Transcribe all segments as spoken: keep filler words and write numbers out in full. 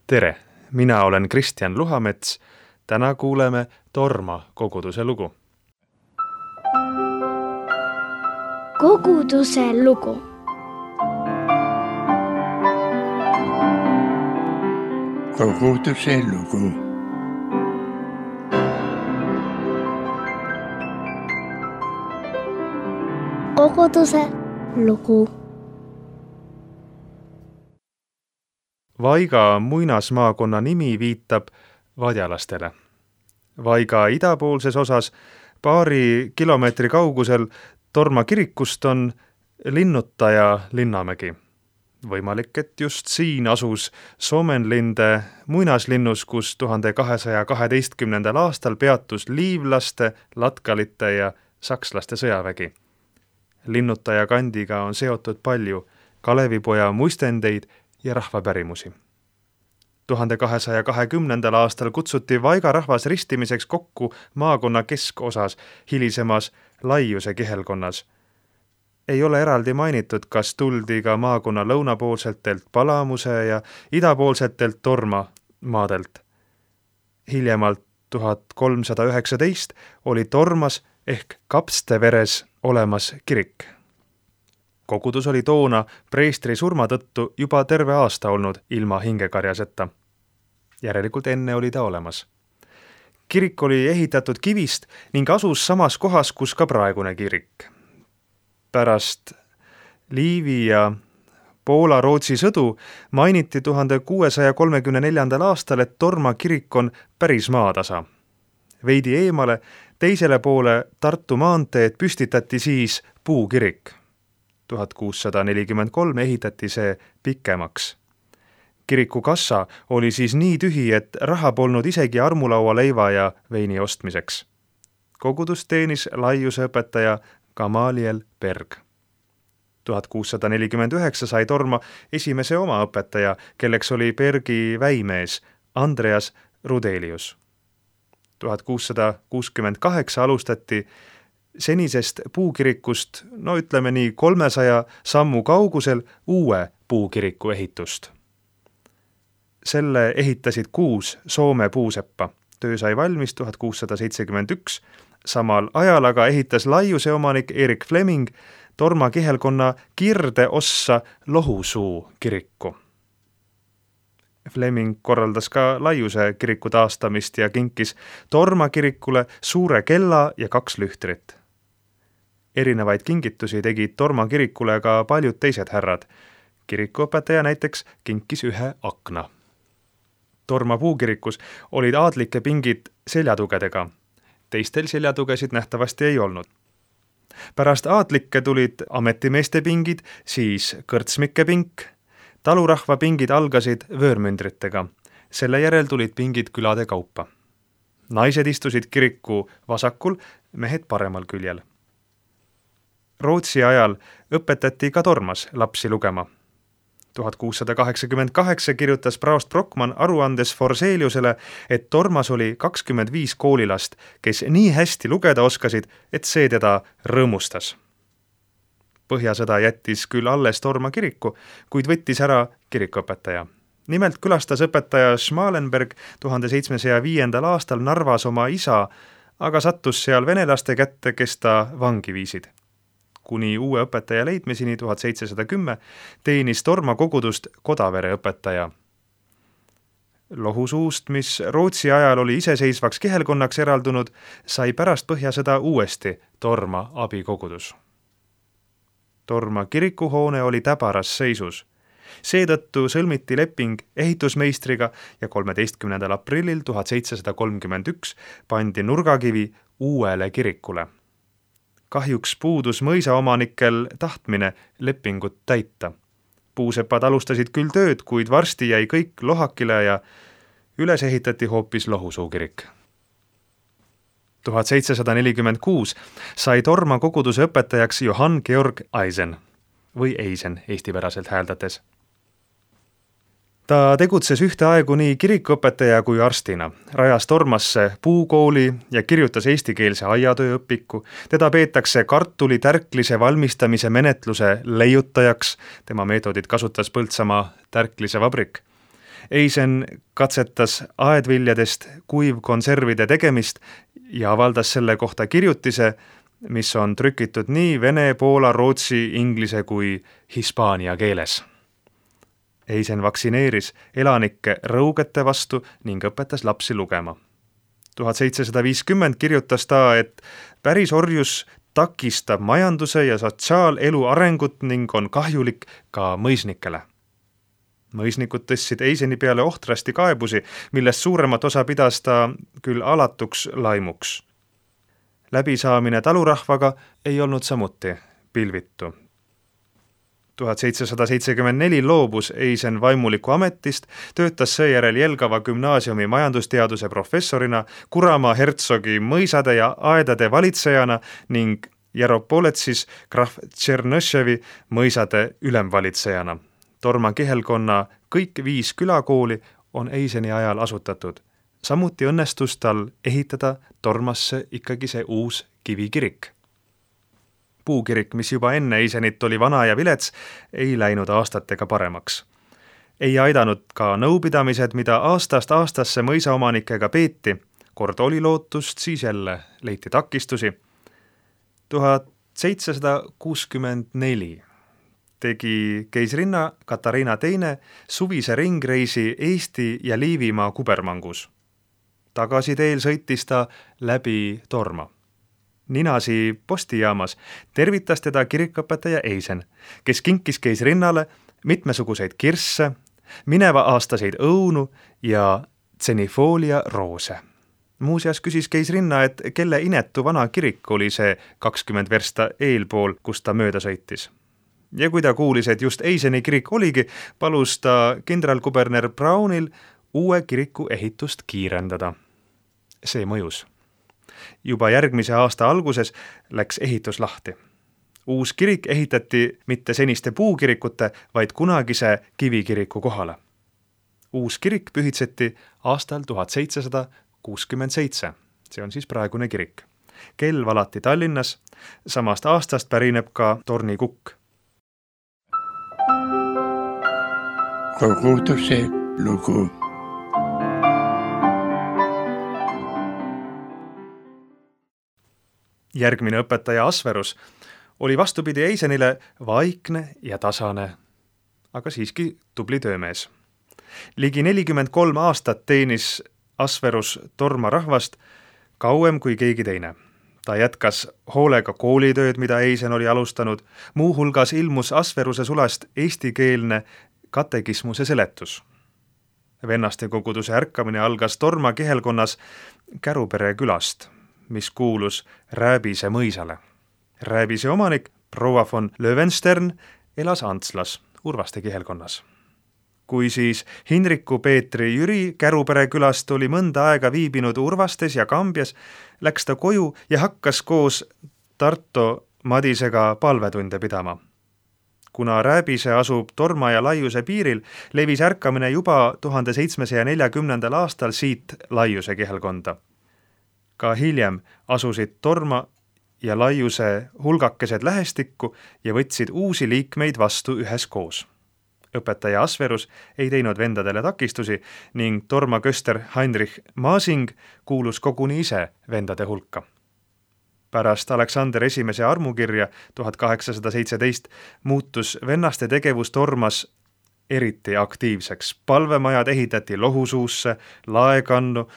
Tere, mina olen Kristjan Luhamets. Täna kuuleme Torma koguduse lugu. Koguduse lugu. Koguduse lugu. Koguduse lugu. Vaiga muinasmaakonna nimi viitab vadjalastele. Vaiga idapoolses osas paari kilomeetri kaugusel Torma kirikust on Linnutaja Linnamägi. Võimalik, et just siin asus Somenlinde muinaslinnus, kus tuhande kahesaja kaheteistkümnendal aastal peatus liivlaste, latkalite ja sakslaste sõjavägi. Linnutaja kandiga on seotud palju Kalevipoja muistendeid ja rahvapärimusi. tuhande kahesaja kahekümnendal aastal kutsuti Vaiga rahvas ristimiseks kokku maakonna keskosas hilisemas Laiuse kihelkonnas. Ei ole eraldi mainitud, kas tuldi ka maakonna lõunapoolsetelt Palamuse ja idapoolsetelt Torma maadelt. Hiljemalt tuhat kolmsada üheksateist oli Tormas ehk Kapsteveres olemas kirik. Kogudus oli toona preestri surma tõttu juba terve aasta olnud ilma hingekarjaseta. Järelikult enne oli ta olemas. Kirik oli ehitatud kivist ning asus samas kohas, kus ka praegune kirik. Pärast Liivi ja Poola-Rootsi sõdu mainiti tuhande kuuesaja kolmekümne neljandal aastal, et Torma kirik on päris maatasa. Veidi eemale, teisele poole Tartu maanteed püstitati siis puukirik. tuhat kuussada nelikümmend kolm ehitati see pikemaks. Kiriku kassa oli siis nii tühi, et raha polnud isegi armulaua leiva ja veini ostmiseks. Kogudus teenis Laiuse õpetaja Gamaliel Berg. tuhat kuussada nelikümmend üheksa sai Torma esimese oma õpetaja, kelleks oli Bergi väimees Andreas Rudelius. tuhat kuussada kuuskümmend kaheksa alustati senisest puukirikust, no ütleme nii kolmesaja sammu kaugusel uue puukiriku ehitust. Selle ehitasid kuus Soome puuseppa. Töö sai valmis tuhat kuussada seitsekümmend üks. Samal ajal aga ehitas Laiuse omanik Erik Fleming Torma kihelkonna kirdeossa Lohusuu kiriku. Fleming korraldas ka Laiuse kiriku taastamist ja kinkis Torma kirikule suure kella ja kaks lühtrit. Erinevaid kingitusi tegid Torma kirikule ka paljud teised härrad. Kirikuõpetaja näiteks kinkis ühe akna. Torma puukirikus olid aadlike pingid seljatugedega. Teistel seljatugesid nähtavasti ei olnud. Pärast aadlikke tulid ametimeeste pingid, siis kõrtsmike pink. Talurahva pingid algasid vöörmündritega. Selle järel tulid pingid külade kaupa. Naised istusid kiriku vasakul, mehed paremal küljel. Rootsi ajal õpetati ka Tormas lapsi lugema. tuhat kuussada kaheksakümmend kaheksa kirjutas praost Brockmann aruandes Forseliusele, et Tormas oli kakskümmend viis koolilast, kes nii hästi lugeda oskasid, et see teda rõõmustas. Põhjasõda jättis küll alles Torma kiriku, kuid võttis ära kirikuõpetaja. Nimelt külastas õpetaja Schmalenberg tuhande seitsmesaja viiendal aastal Narvas oma isa, aga sattus seal venelaste kätte, kes ta vangi viisid. Kuni uue õpetaja leidmiseni tuhat seitsesada kümme teenis Torma kogudust Kodavere õpetaja. Lohusuust, mis Rootsi ajal oli iseseisvaks kihelkonnaks eraldunud, sai pärast põhjasõda uuesti Torma abikogudus. Torma kirikuhoone oli täbaras seisus. Seetõttu sõlmiti leping ehitusmeistriga ja kolmeteistkümnendal aprillil tuhat seitsesada kolmkümmend üks pandi nurgakivi uuele kirikule. Kahjuks puudus mõisaomanikel tahtmine lepingut täita. Puusepad alustasid küll tööd, kuid varsti jäi kõik lohakile ja üles ehitati hoopis Lohusuu kirik. tuhat seitsesada nelikümmend kuus sai Torma koguduse õpetajaks Johann Georg Eisen või Eisen eestipäraselt hääldates. Ta tegutses ühteaegu nii kirikuõpetaja kui arstina, rajas Tormasse puukooli ja kirjutas eestikeelse aiatööõpiku. Teda peetakse kartuli tärklise valmistamise menetluse leiutajaks, tema meetodit kasutas Põltsamaa tärklise vabrik. Eisen katsetas aedviljadest kuivkonservide tegemist ja avaldas selle kohta kirjutise, mis on trükitud nii vene, poola, rootsi, inglise kui hispaania keeles. Eisen vaktsineeris elanikke rõugete vastu ning õpetas lapsi lugema. tuhat seitsesada viiskümmend kirjutas ta, et päris orjus takistab majanduse ja sotsiaalelu arengut ning on kahjulik ka mõisnikele. Mõisnikud tõstsid Eiseni peale ohtrasti kaebusi, millest suuremat osa pidas ta küll alatuks laimuks. Läbisaamine talurahvaga ei olnud samuti pilvitu. tuhat seitsesada seitsekümmend neli loobus Eisen vaimuliku ametist, töötas seejärel Jelgava gümnaasiumi majandusteaduse professorina, Kuramaa hertsogi mõisade ja aedade valitsejana ning Jaropoletsis krahv Tšernõševi mõisade ülemvalitsejana. Torma kihelkonna kõik viis külakooli on Eiseni ajal asutatud. Samuti õnnestus tal ehitada Tormasse ikkagi see uus kivikirik. Puukirik, mis juba enne Eisenit oli vana ja vilets, ei läinud aastatega paremaks. Ei aidanud ka nõupidamised, mida aastast aastasse mõisaomanikega peeti. Kord oli lootust, siis jälle leiti takistusi. tuhat seitsesada kuuskümmend neli tegi keisrinna Katariina teine suvise ringreisi Eesti ja Liivimaa kubermangus. Tagasiteel sõitis ta läbi Torma. Ninasi postijaamas tervitas teda kirikõpetaja Eisen, kes kinkis keisrinnale mitmesuguseid kirsse, mineva aastaseid õunu ja tsenifoolia roose. Muuseas küsis keisrinna, et kelle inetu vana kirik oli see kakskümmend versta eelpool, kus ta mööda sõitis. Ja kui ta kuulis, et just Eiseni kirik oligi, palus ta kindralkuberner Brownil uue kiriku ehitust kiirendada. See mõjus. Juba järgmise aasta alguses läks ehitus lahti. Uus kirik ehitati mitte seniste puukirikute, vaid kunagise kivikiriku kohale. Uus kirik pühitseti aastal tuhat seitsesada kuuskümmend seitse. See on siis praegune kirik. Kell valati Tallinnas, samast aastast pärineb ka tornikukk. Koguduse lugu. Järgmine õpetaja Asverus oli vastupidi Eisenile vaikne ja tasane, aga siiski tubli töömees. Ligi nelikümmend kolm aastat teenis Asverus Torma rahvast kauem kui keegi teine. Ta jätkas hoolega koolitööd, mida Eisen oli alustanud, muu hulgas ilmus Asveruse sulast eestikeelne katekismuse seletus. Vennaste koguduse ärkamine algas Torma kihelkonnas Kärupere külast, mis kuulus Rääbise mõisale. Rääbise omanik, proua von Löwenstern, elas Antslas, Urvaste kihelkonnas. Kui siis Hinriku Peetri Jüri Kärupere külast oli mõnda aega viibinud Urvastes ja Kambjas, läks ta koju ja hakkas koos Tarto Madisega palvetunde pidama. Kuna Rääbise asub Torma ja Laiuse piiril, levis ärkamine juba tuhande seitsmesaja neljakümnendal aastal siit Laiuse kihelkonda. Ka hiljem asusid Torma ja Laiuse hulgakesed lähestikku ja võtsid uusi liikmeid vastu üheskoos. Õpetaja Asverus ei teinud vendadele takistusi ning Torma köster Heinrich Maasing kuulus koguni ise vendade hulka. Pärast Aleksander esimese armukirja tuhat kaheksasada seitseteist muutus vennaste tegevus Tormas eriti aktiivseks. Palvemajad ehitati Lohusuusse, Laekannu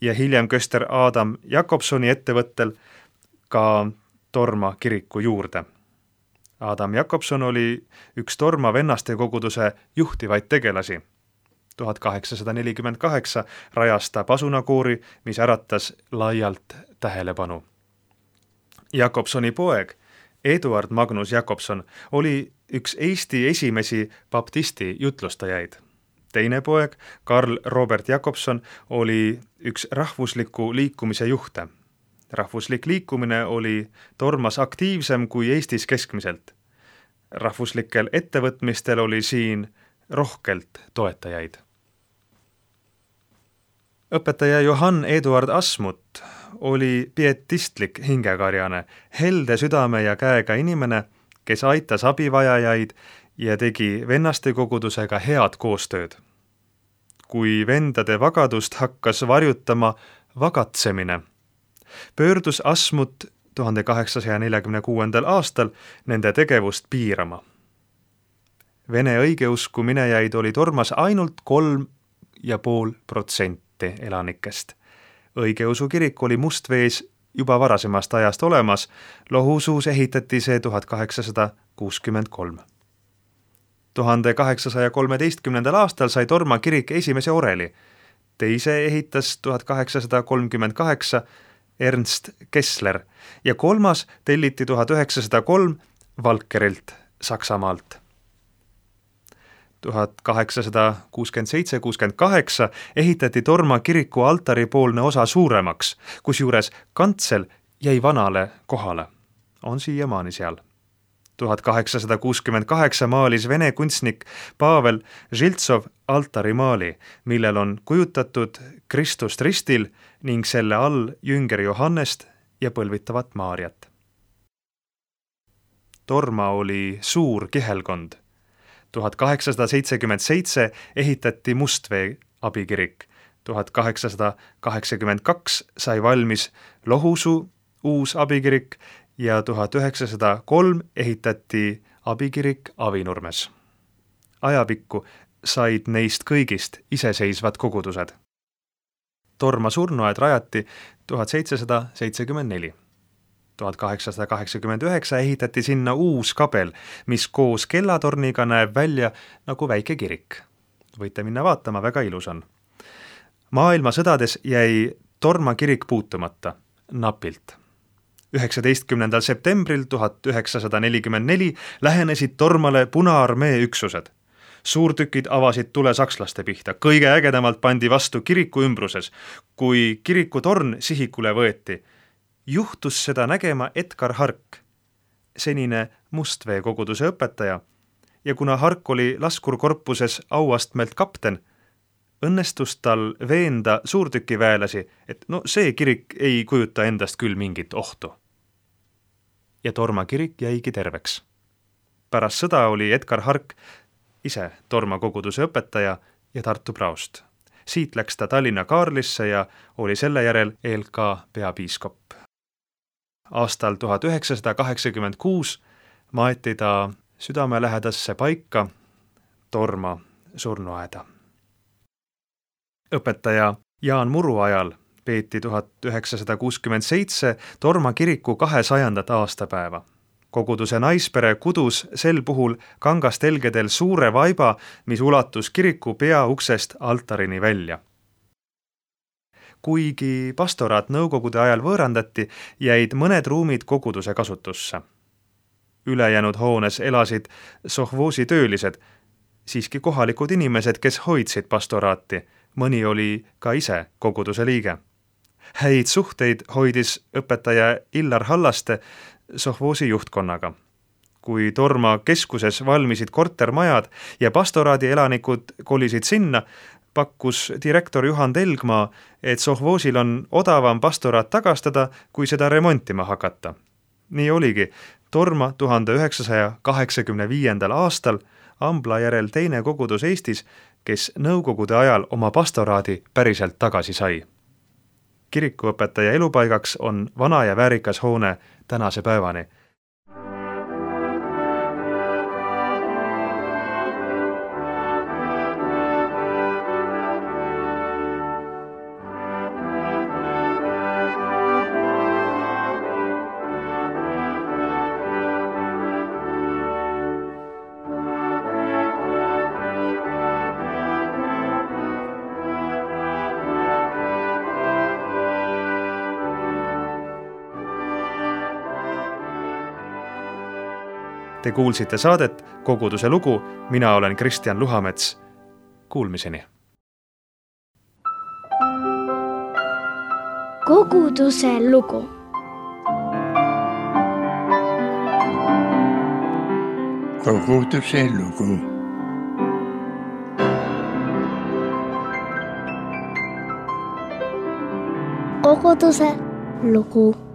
ja hiljem köster Adam Jakobsoni ettevõttel ka Torma kiriku juurde. Adam Jakobson oli üks Torma vennaste koguduse juhtivaid tegelasi. tuhat kaheksasada nelikümmend kaheksa rajas ta pasunakoori, mis äratas laialt tähelepanu. Jakobsoni poeg, Eduard Magnus Jakobson, oli üks Eesti esimesi baptisti jutlustajaid. Teine poeg, Karl Robert Jakobson, oli üks rahvusliku liikumise juhte. Rahvuslik liikumine oli Tormas aktiivsem kui Eestis keskmiselt. Rahvuslikel ettevõtmistel oli siin rohkelt toetajaid. Õpetaja Johann Eduard Asmut oli pietistlik hingekarjane, helde südame ja käega inimene, kes aitas abivajajaid ja tegi vennaste kogudusega head koostööd. kui vendade vagadust hakkas varjutama vagatsemine. Pöördus Asmut tuhande kaheksasaja neljakümne kuuendal aastal nende tegevust piirama. Vene õigeusku minejaid oli Tormas ainult kolm ja pool protsenti elanikest. Õigeusu kirik oli Mustvees juba varasemast ajast olemas, Lohusuus ehitati see tuhat kaheksasada kuuskümmend kolm. tuhande kaheksasaja kolmeteistkümnendal aastal sai Torma kirik esimese oreli, teise ehitas tuhat kaheksasada kolmkümmend kaheksa Ernst Kessler ja kolmas telliti tuhat üheksasada kolm Valkerilt Saksamaalt. tuhat kaheksasada kuuskümmend seitse kuuskümmend kaheksa ehitati Torma kiriku altaripoolne osa suuremaks, kusjuures kantsel jäi vanale kohale. On siiamaani seal. tuhat kaheksasada kuuskümmend kaheksa maalis vene kunstnik Pavel Žiltsov altarimaali, millel on kujutatud Kristust ristil ning selle all jünger Johannest ja põlvitavat Maarjat. Torma oli suur kihelkond. tuhat kaheksasada seitsekümmend seitse ehitati Mustvee abikirik. tuhat kaheksasada kaheksakümmend kaks sai valmis Lohusuu uus abikirik ja tuhat üheksasada kolm ehitati abikirik Avinurmes. Ajapikku said neist kõigist iseseisvad kogudused. Torma surnuaed rajati tuhat seitsesada seitsekümmend neli. tuhat kaheksasada kaheksakümmend üheksa ehitati sinna uus kabel, mis koos kellatorniga näeb välja nagu väike kirik. Võite minna vaatama, väga ilus on. Maailmasõdades jäi Torma kirik puutumata, napilt. üheksateistkümnendal septembril tuhat üheksasada nelikümmend neli lähenesid Tormale Punaarmee üksused. Suurtükid avasid tule sakslaste pihta, kõige ägedamalt pandi vastu kiriku ümbruses. Kui kiriku torn sihikule võeti, juhtus seda nägema Edgar Hark, senine Mustvee koguduse õpetaja, ja kuna Hark oli laskurkorpuses auastmelt kapten, õnnestus tal veenda suurtükiväelasi, et no see kirik ei kujuta endast küll mingit ohtu. Ja Torma kirik jäigi terveks. Pärast sõda oli Edgar Hark ise Torma koguduse õpetaja ja Tartu praost. Siit läks ta Tallinna Kaarlisse ja oli selle järel E L K peapiiskop. Aastal tuhat üheksasada kaheksakümmend kuus maeti ta südamelähedasse paika Torma surnuaeda. Õpetaja Jaan Muru ajal peeti tuhat üheksasada kuuskümmend seitse Torma kiriku kahesajandat aastapäeva. Koguduse naispere kudus sel puhul kangastelgedel suure vaiba, mis ulatus kiriku peauksest altarini välja. Kuigi pastoraat nõukogude ajal võõrandati, jäid mõned ruumid koguduse kasutusse. Ülejäänud hoones elasid sohvoosi töölised, siiski kohalikud inimesed, kes hoidsid pastoraati. Mõni oli ka ise koguduse liige. Häid suhteid hoidis õpetaja Illar Hallaste sohvoosi juhtkonnaga. Kui Torma keskuses valmisid kortermajad ja pastoraadi elanikud kolisid sinna, pakkus direktor Juhan Telgmaa, et sohvoosil on odavam pastoraat tagastada, kui seda remontima hakata. Nii oligi Torma tuhande üheksasaja kaheksakümne viiendal aastal Ambla järel teine kogudus Eestis, kes nõukogude ajal oma pastoraadi päriselt tagasi sai. Kirikuõpetaja elupaigaks on vana ja väärikas hoone tänase päevani. Te kuulsite saadet Koguduse lugu, mina olen Kristjan Luhamets. Kuulmiseni. Koguduse lugu. Koguduse lugu. Koguduse lugu.